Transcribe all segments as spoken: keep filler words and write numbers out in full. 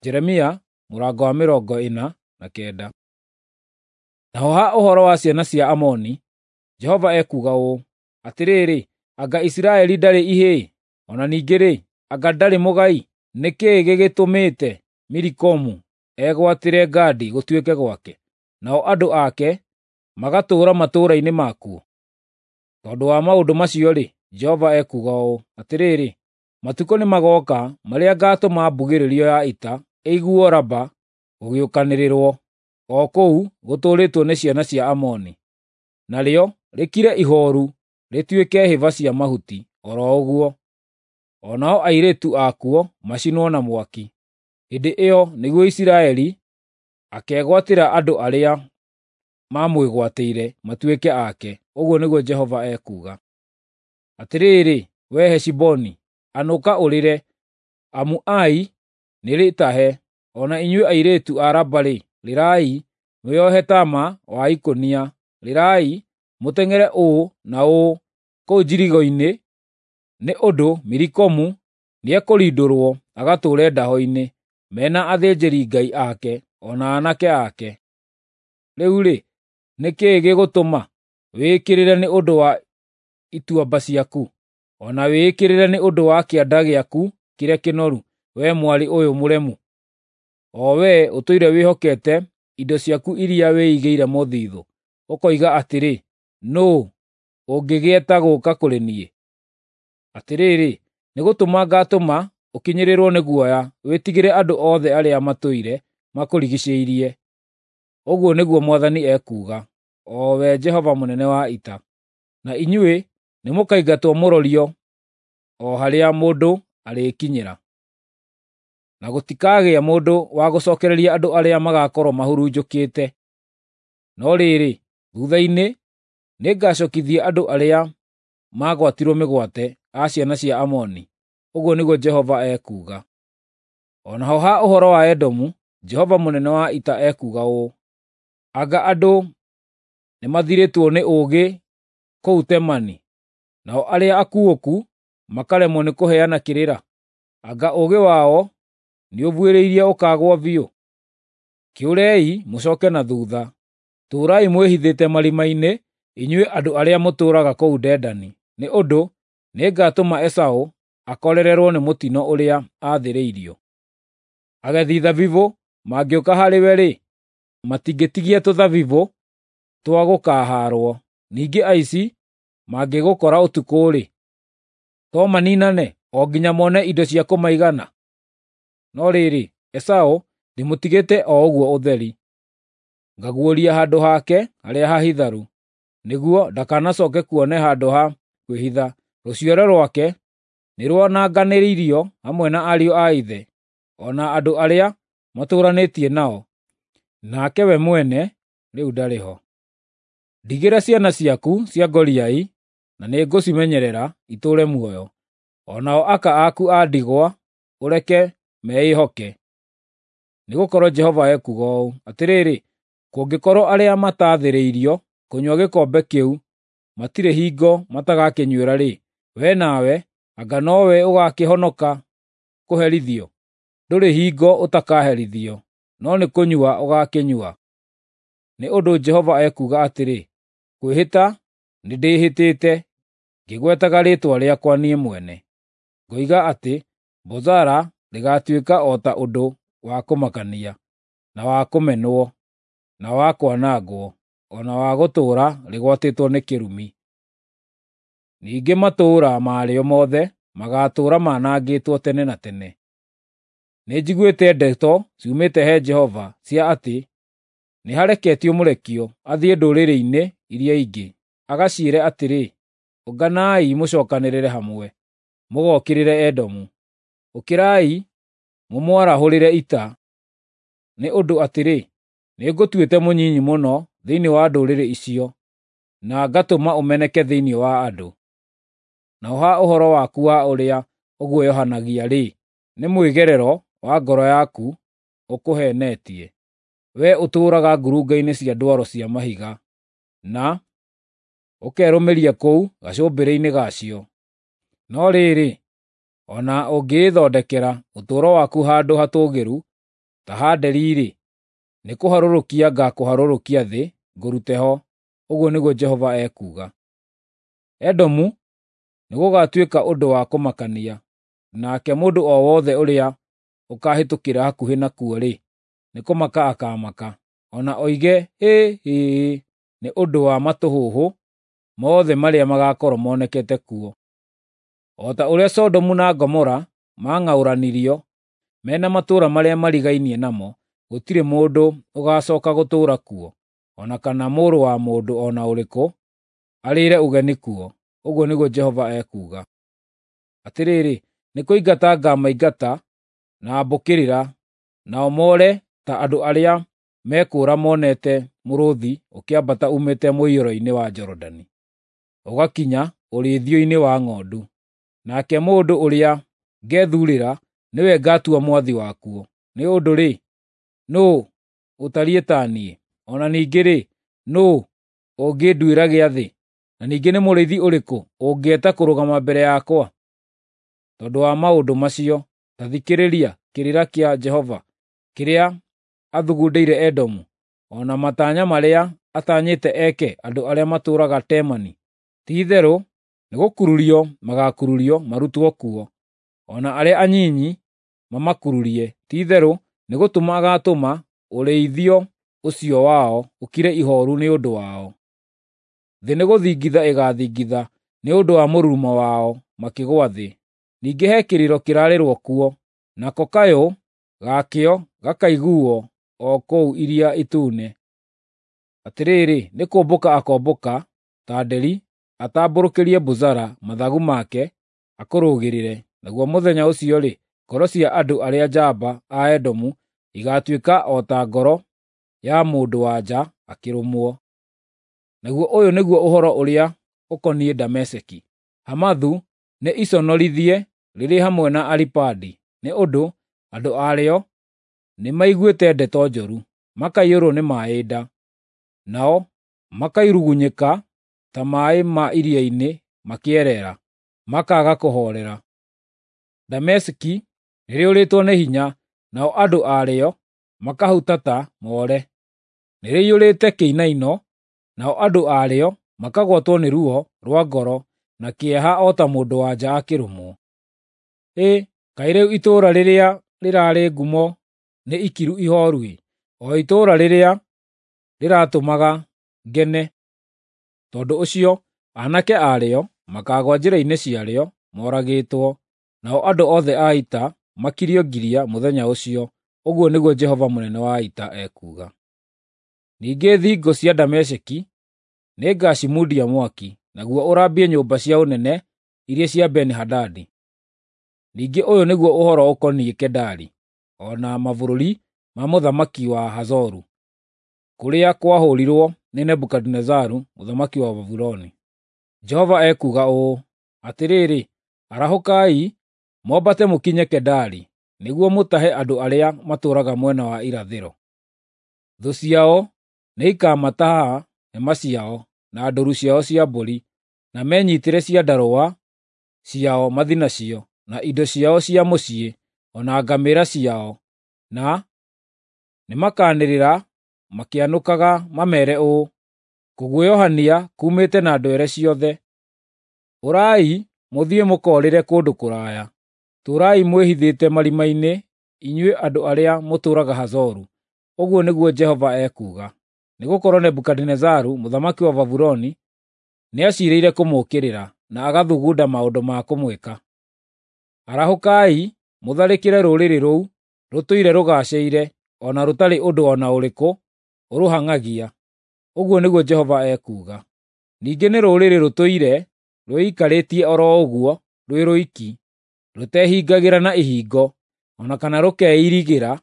Jeremia mũrango wa mĩrongo ĩna na kenda. Naho ha ũhoro wa ciana cia Amoni, Jehova ekuuga ũũ: Atĩrĩrĩ, anga Isiraeli ndarĩ ihĩĩ? O na ningĩ-rĩ, anga ndarĩ mũgai? Nĩ kĩĩ gĩgĩtũmĩte Milikomu egwatĩre Gadi gũtuĩke gwake, nao andũ ake magatũũra matũũra-inĩ makuo? Tondũ wa maũndũ macio-rĩ, Jehova ekuuga ũũ: Atĩrĩrĩ, matukũ nĩmagooka marĩa ngaatũma mbugĩrĩrio ya ita ĩiguo Raba gũgĩũkanĩrĩrwo, o kũu gũtũũrĩtwo nĩ ciana cia Amoni, narĩo rĩkire ihooru rĩtuĩke hĩba cia mahuti o ro ũguo, o nao airĩtu akuo macinwo na mwaki. Hĩndĩ ĩyo nĩguo Isiraeli akegwatĩra andũ arĩa maamwĩgwatĩire matuĩke ake, ũguo nĩguo Jehova ekuuga. Atĩrĩrĩ, wee Heshiboni, anũka ũrĩre, amu Ai nĩrĩtahe, o na inyuĩ airĩtu a Raba-rĩ, rĩrai, mwĩohe taama wa ikũnia, rĩrai, mũteng'ere ũũ na ũũ kũu njirigo-inĩ, nĩ ũndũ Milikomu nĩekũrindũrwo agatũũre ndaho-inĩ, me na athĩnjĩri-ngai ake o na aanake ake. Rĩu-rĩ, nĩ kĩĩ gĩgũtũma wĩĩkĩrĩre nĩ ũndũ wa ituamba ciaku, o na wĩĩkĩrĩre nĩ ũndũ wa kĩanda gĩaku kĩrĩa kĩnoru, wee mwarĩ ũyũ mũremu, o wee ũtũire wĩhokete indo ciaku iria wĩigĩire mũthithũ, ũkoiga atĩrĩ, ‘Nũũ ũngĩgĩeta gũũka kũrĩ niĩ?’ Atĩrĩrĩ, nĩgũtũma ngaatũma ũkinyĩrĩrwo nĩ guoya, wĩtigĩre andũ othe arĩa matũire makũrigiicĩirie. Ũguo nĩguo Mwathani ekuuga, o we Jehova mũnene wa ita. Na inyuĩ nĩmũkaingatwo mũrorio o harĩa mũndũ arĩkinyĩra, na gũtikagĩa mũndũ wa gũcookereria andũ arĩa magaakorwo mahurunjũkĩte. No rĩrĩ, thuutha-inĩ nĩngacookithia andũ arĩa maagwatirwo mĩgwate a ciana cia Amoni, ũguo nĩguo Jehova ekuuga. O naho ha ũhoro wa Edomu, Jehova mũnene wa ita ekuuga ũũ: Anga andũ nĩmathirĩtwo nĩ ũũgĩ kũu Temani, nao arĩa akuũku makaremwo nĩ kũheana kĩrĩra? Anga ũũgĩ wao nĩũbuĩrĩirie ũkaagwo biũ? Kĩũrei mũcooke na thuutha, tũũrai mwĩhithĩte marima-inĩ, inyuĩ andũ arĩa mũtũũraga kũu Dedani, nĩ ũndũ nĩngatũma Esaũ akorererwo nĩ mũtino ũrĩa aathĩrĩirio. Agethi thabibũ mangĩũka harĩwe-rĩ, matingĩtigia tũthabibũ twa gũkaahaarwo. Ningĩ aici mangĩgũkora ũtukũ-rĩ, to maniinane o nginya mone indo cia kũmaigana? No rĩrĩ, Esaũ ndĩmũtigĩte o ũguo ũtheri, ngaguũria handũ hake harĩa hahitharu, nĩguo ndakanacooke kuone handũ ha kwĩhitha. Rũciaro rwake nĩrwananganĩirio hamwe na ariũ a ithe, o na andũ arĩa matũũranĩtie nao, nake we mwene rĩu ndarĩ ho. Ndigĩra ciana ciaku cia ngoriai, na nĩngũcimenyerera itũũre muoyo, o nao aka aku a ndigwa ũreke meĩhoke. Nĩgũkorwo Jehova ekuuga ũũ: Atĩrĩrĩ, kũngĩkorwo arĩa mataathĩrĩirio kũnyua gĩkombe kĩu matirĩ hingo matagakĩnyuĩra-rĩ, wee nawe anga nowe ũgaakĩhonoka kũherithio? Ndũrĩ hingo ũtakaherithio, no nĩ kũnyua ũgaakĩnyua. Nĩ ũndũ Jehova ekuuga atĩrĩ, kwĩhĩta nĩndĩhĩtĩte ngĩgwetaga rĩĩtwa rĩakwa niĩ mwene, ngoiga atĩ Bozara rĩgaatuĩka o ta ũndũ wa kũmakania, na wa kũmenwo, na wa kwanangwo, o na wa gũtũũra rĩgwatĩtwo nĩ kĩrumi. Ningĩ matũũra marĩo mothe magaatũũra manangĩtwo tene na tene. Nĩnjiguĩte ndeto ciumĩte he Jehova cia atĩ nĩhareketio mũrekio athiĩ ndũrĩrĩ-inĩ iria ingĩ, agaciĩre atĩrĩ, “Ũnganai mũcookanĩrĩre hamwe, mũgookĩrĩre Edomu. Ũkĩrai mũmwarahũrĩre ita.” Nĩ ũndũ atĩrĩ, nĩngũtuĩte mũnyinyi mũno thĩinĩ wa ndũrĩrĩ icio, na ngatũma ũmeneke thĩinĩ wa andũ. Naho ha ũhoro waku wa ũrĩa ũguoyohanagia-rĩ, nĩ mwĩgerero wa ngoro yaku ũkũheenetie, wee ũtũũraga ngurunga-inĩ cia ndwaro cia mahiga, na ũkerũmĩria kũu gacũmbĩrĩ-inĩ gacio. No rĩrĩ, o na ũngĩĩthondekera ũtũũro waku handũ hatũũgĩru, Ta ha nderi-rĩ, nĩkũharũrũkia ngaakũharũrũkia thĩ ngũrute ho, ũguo nĩguo Jehova ekuuga. Edomu nĩgũgatuĩka ũndũ wa kũmakania, nake mũndũ o wothe ũrĩa ũkaahĩtũkĩra hakuhĩ nakuo-rĩ, nĩkũmaka akaamaka, o na oige hĩ hĩ nĩ ũndũ wa matũhũhũ mothe marĩa magaakorwo monekete kuo. O ta ũrĩa Sodomu na Gomora maang'aũranirio me na matũũra marĩa marigainie namo, gũtirĩ mũndũ ũgaacooka gũtũũra kuo, o na kana mũrũ wa mũndũ o na ũrĩkũ arĩĩre ũgeni kuo, ũguo nĩguo Jehova ekuuga. Atĩrĩrĩ, nĩkũingata ngaamaingata na mbũkĩrĩra, nao moore ta andũ arĩa mekũũra monete mũrũũthi ũkĩambata uumĩte mũiyũro-inĩ wa Jorodani, ũgakinya ũrĩithio-inĩ wa ng'ondu. Nake mũndũ ũrĩa ngethuurĩra nĩwe ngatua mwathi wakuo. Nĩ ũndũ-rĩ, nũũ ũtariĩ ta niĩ? O na ningĩ-rĩ, nũũ ũngĩnduĩra gĩathĩ? Na ningĩ nĩ mũrĩithi ũrĩkũ ũngĩeta kũrũgama mbere yakwa? Tondũ wa maũndũ macio, ta thikĩrĩria kĩrĩra kĩa Jehova kĩrĩa athugundĩire Edomu, o na matanya marĩa atanyĩte eke andũ arĩa matũũraga Temani. Ti-itherũ nĩgũkururio magaakururio marutwo kuo, o na arĩa anyinyi mamakururie. Ti-itherũ nĩgũtũma agaatũma ũrĩithio ũcio wao ũkire ihooru nĩ ũndũ wao. Thĩ nĩgũthingitha ĩgaathingitha nĩ ũndũ wa mũrurumo wao makĩgũa thĩ. Ningĩ he kĩrĩro kĩrarĩrwo kuo, nako kayũ gakĩo gakaiguuo o kũu Iria Itune. Atĩrĩrĩ, nĩkũmbũka akombũka ta nderi atambũrũkĩrie Bozara mathagu make akũrũgĩrĩre. Naguo mũthenya ũcio-rĩ, ngoro cia andũ arĩa njamba a Edomu igaatuĩka o ta ngoro ya mũndũ-wa-nja akĩrũmwo. Naguo ũyũ nĩguo ũhoro ũrĩa ũkoniĩ Dameski: Hamathu nĩ iconorithie rĩrĩ hamwe na Aripadi, nĩ ũndũ andũ arĩo nĩmaiguĩte ndeto njũru, makaiyũrwo nĩ maaĩ nda, nao makairugunyĩka ta maaĩ ma iria-inĩ makĩereera, makaaga kũhoorera. Dameski nĩrĩũrĩtwo nĩ hinya, nao andũ arĩo makahutata moore. Nĩrĩiyũrĩte kĩinaino, nao andũ arĩo makagwatwo nĩ ruo rwa ngoro na kĩeha o ta mũndũ-wa-nja akĩrũmwo. Hĩ, kaĩ rĩu itũũra rĩrĩa rĩraarĩ ngumo nĩ ikiru ihooru-ĩ, o itũũra rĩrĩa rĩratũmaga ngene! Tondũ ũcio aanake arĩo makaagũa njĩra-inĩ ciarĩo moragĩtwo, nao andũ othe a ita makirio ngiria mũthenya ũcio, ũguo nĩguo Jehova mũnene wa ita ekuuga. Ningĩ thingo cia Dameski nĩngacimundia mwaki, naguo ũrambie nyũmba cia ũnene iria cia Beni-Hadadi. Ningĩ ũyũ nĩguo ũhoro ũkoniĩ Kedari, o na mabũrũri ma mũthamaki wa Hazoru, kũrĩa kwahũũrirwo nĩ Nebukadinezaru mũthamaki wa Babuloni. Jehova ekuuga ũũ: Atĩrĩrĩ, arahũkai, mwambate mũkinye Kedari, nĩguo mũtahe andũ arĩa matũũraga mwena wa irathĩro. Thũ ciao nĩikamataha hema ciao na ndũũru ciao cia mbũri, na menyiitĩre ciandarũa ciao mathiĩ nacio, na indo ciao cia mũciĩ, o na ngamĩĩra ciao, na nĩmakanĩrĩra makĩanũkaga mameere ũũ, ‘Kũguoyohania kuumĩte na ndwere ciothe! Ũrai mũthiĩ mũkoorĩre kũndũ kũraya! Tũũrai mwĩhithĩte marima-inĩ, inyuĩ andũ arĩa mũtũũraga Hazoru,’ ũguo nĩguo Jehova ekuuga. Nĩgũkorwo Nebukadinezaru mũthamaki wa Babuloni nĩaciirĩire kũmũũkĩrĩra, na agathugunda maũndũ ma kũmwĩka. Arahũkai mũtharĩkĩre rũrĩrĩ rũu rũtũire rũgaacĩire, o na rũtarĩ ũndũ o na ũrĩkũ ũrũhang'agia, ũguo nĩguo Jehova ekuuga. Ningĩ nĩ rũrĩrĩ rũtũire rwĩikarĩtie o ro ũguo rwĩ rwiki, rũtehingagĩra na ihingo, o na kana rũkeirigĩra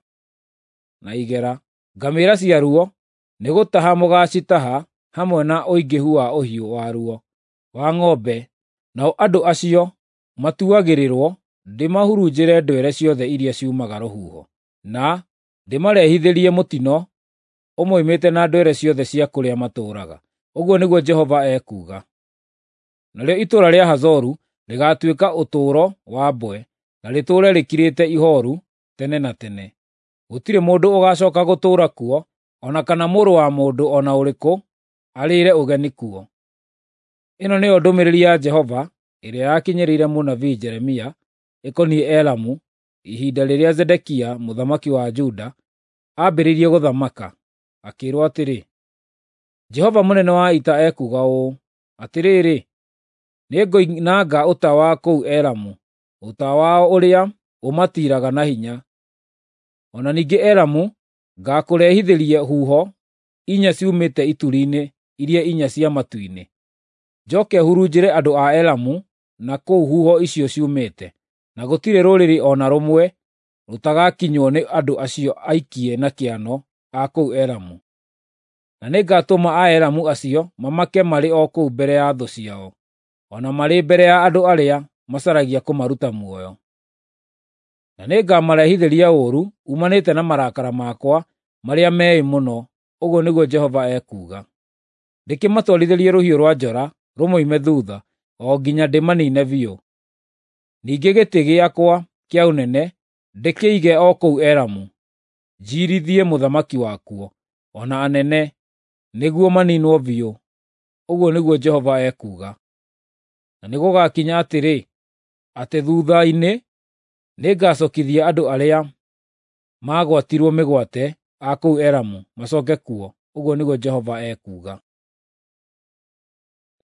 na igera. Ngamĩĩra ciaruo nĩgũtaha mũgaacitaha hamwe na ũingĩhu wa ũhiũ waruo wa ng'ombe, nao andũ acio matuagĩrĩrwo ndĩmahurunjĩre ndwere ciothe iria ciumaga rũhuho, na ndĩmarehithĩrie mũtino ũmoimĩte na ndwere ciothe cia kũrĩa matũũraga, ũguo nĩguo Jehova ekuuga. Narĩo itũũra rĩa Hazoru rĩgaatuĩka ũtũũro wa mbwe, na rĩtũũre rĩkirĩte ihooru tene na tene. Gũtirĩ mũndũ ũgaacooka gũtũũra kuo, o na kana mũrũ wa mũndũ o na ũrĩkũ arĩĩre ũgeni kuo. Ĩno nĩyo ndũmĩrĩri ya Jehova ĩrĩa yakinyĩrĩire mũnabii Jeremia ĩkoniĩ Elamu ihinda rĩrĩa Zedekia mũthamaki wa Juda aambĩrĩirie gũthamaka, akĩĩrwo atĩrĩ: Jehova mũnene wa ita ekuuga ũũ, “Atĩrĩrĩ, nĩngoinanga ũta wa kũu Elamu, ũta wao ũrĩa ũmatiiraga na hinya. O na ningĩ Elamu ngaakũrehithĩria huho inya ciumĩte ituri-inĩ iria inya cia matu-inĩ, njooke hurunjĩre andũ a Elamu na kũu huho icio ciumĩte, na gũtirĩ rũrĩrĩ o na rũmwe rũtagakinywo nĩ andũ acio aikie na kĩano a kũu Elamu. Na nĩngatũma Aelamu acio mamake marĩ o kũu mbere ya thũ ciao, o na marĩ mbere ya andũ arĩa macaragia kũmaruta muoyo. Na nĩngamarehithĩria ũũru uumanĩte na marakara makwa marĩa meĩ mũno, ũguo nĩguo Jehova ekuuga. Ndĩkĩmatwarithĩrie rũhiũ rwa njora rũmoime thuutha, o nginya ndĩmaniine biũ. Ningĩ gĩtĩ gĩakwa kĩa ũnene ndĩkĩige o kũu Elamu, njiirithie mũthamaki wakuo, o na anene, nĩguo maniinwo biũ, ũguo nĩguo Jehova ekuuga. Na nĩgũgakinya atĩrĩ, atĩ thuutha-inĩ nĩngacookithia andũ arĩa maagwatirwo mĩgwate a kũu Elamu macooke kuo, ũguo nĩguo Jehova ekuuga.